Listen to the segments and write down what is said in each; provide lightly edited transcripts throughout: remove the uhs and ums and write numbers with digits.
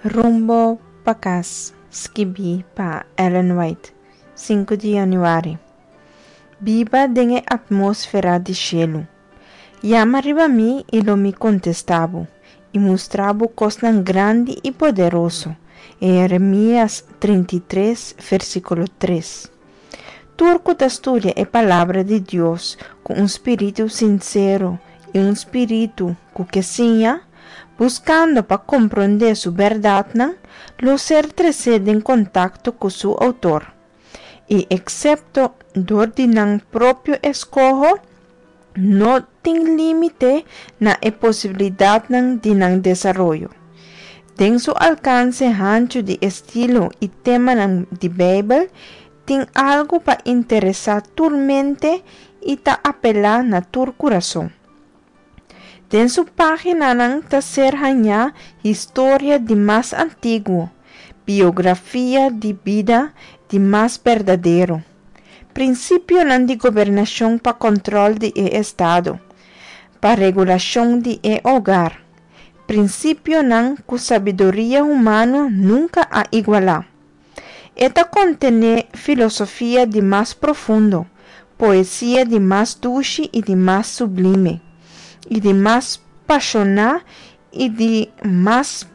Rumbo pa kas, skibí pa Ellen White, 5 di yanüari. Biba den e atmósfera di shelu. Yama riba mi i lo mi kontestá bo i mustra bo kosnan grandi i poderoso. Jeremias 33, versíkulo 3. Tur ku ta studia e Palabra di Dios ku un spiritu sinsero i un spiritu ku ke siña, buskando pa komprondé su bèrdatnan, lo ser tresé den kontakto ku su Outor. I eksepto dor di nan propio eskoho, no tin límite na e posibilidatnan di nan desaroyo. Den su alkanse hanchu di estilo i temanan di Beibel, tin algu pa interesá tur mente i ta apelá na tur kurason. Den su páginanan ta ser hañá historia di mas antiguo, biografia di bida di mas berdadero, prinsipionan di gobernashon pa kòntròl di e estado, pa regulashon di e hogar, prinsipionan ku sabiduria humano nunka a igualá. E ta kontené filosofia di mas profundo, poesia di mas dushi i di mas sublime, i di mas pashoná i di mas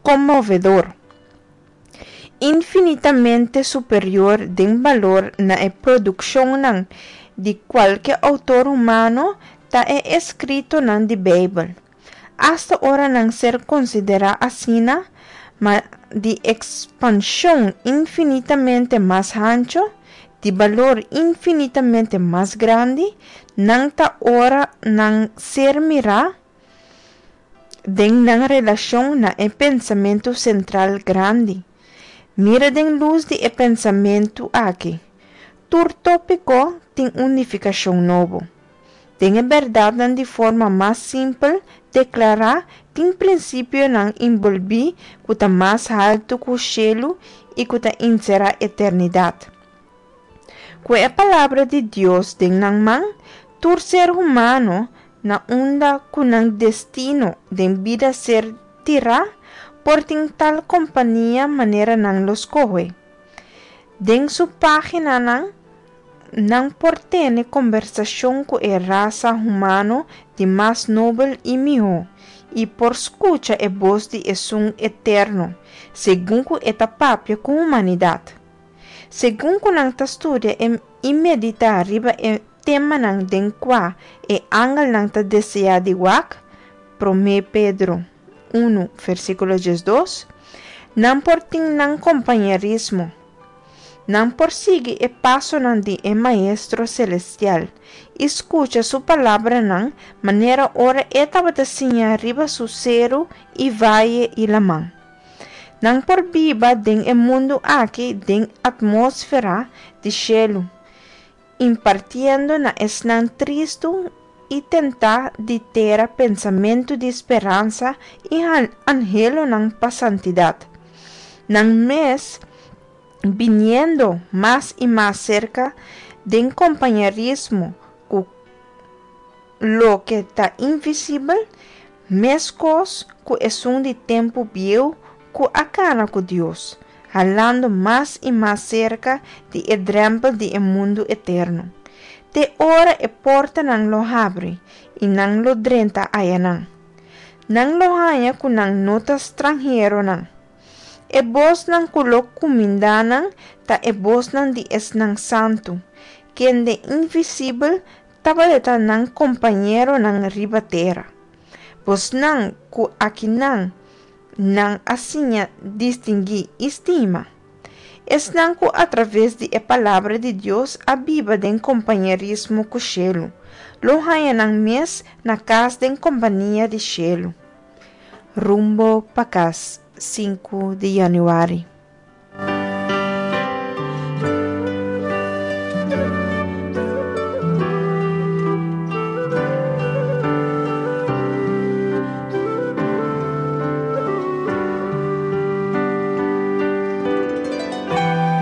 konmovedor, infinitamente superior den balor na e produkshonnan di kualke outor humano ta e eskritonan di Beibel. Asta ora nan ser konsiderá asina, ma di ekspanshon infinitamente mas hanchu, di balor infinitamente mas grandi, nan ta ora nan ser mirá den nan relashon na e pensamentu sentral grandi. Mira den lus di e pensamentu aki, tur tópiko tin un nifikashon nobo. Den e bèrdatnan di forma mas simpel deklará tin prinsipionan enbolbí ku ta mas haltu ku shelu i ku ta enserá eternidat. Ku e Palabra di Dios den nan man, tur ser humano, na unda ku nan destino den bida ser tirá, por tin tal kompania manera nan lo skohe. Den su páginanan, nan por tene kombersashon ku e rasa humano di mas nobel i mihó, i por skucha e bos di Esun Eterno segun ku e ta papia ku humanidat. Segun ku nan ta studia i meditá riba e temanan den kua e angelnan ta deseá di wak, Promé Pedro unu, versíkulo diesdos, nan por tin nan kompañerismo. Nan por sigui e pasonan di e Maestro Selestial i skucha su palabranan manera ora e tabata siña riba su seru i vaye i laman. Nan por biba den e mundu aki den atmósfera di shelu, impartiendo na esnan tristu i tentá di tera pensamentu di speransa i anhelonan pa santidat. Nan mes biniendo mas i mas serka den kompañerismo ku loke ta invisibel, meskos ku esun di tempu bieu ku a kana ku Dios, halando mas i mas serka di e drèmpel di e mundu eterno, te ora e portanan lo habri i nan lo drenta ayanan. Nan lo haña ku nan no ta stranheronan. E bosnan ku lo kumindá nan ta e bosnan di esnan santu, kende invisibel tabata nan kompañeronan riba tera. Bosnan ku akinan nan a siña distinguí i stima. Esnan ku atraves di e Palabra di Dios a biba den kompañerismo ku shelu, lo haña nan mes na kas den kompania di shelu. Rumbo pa kas, sinku di yanüari.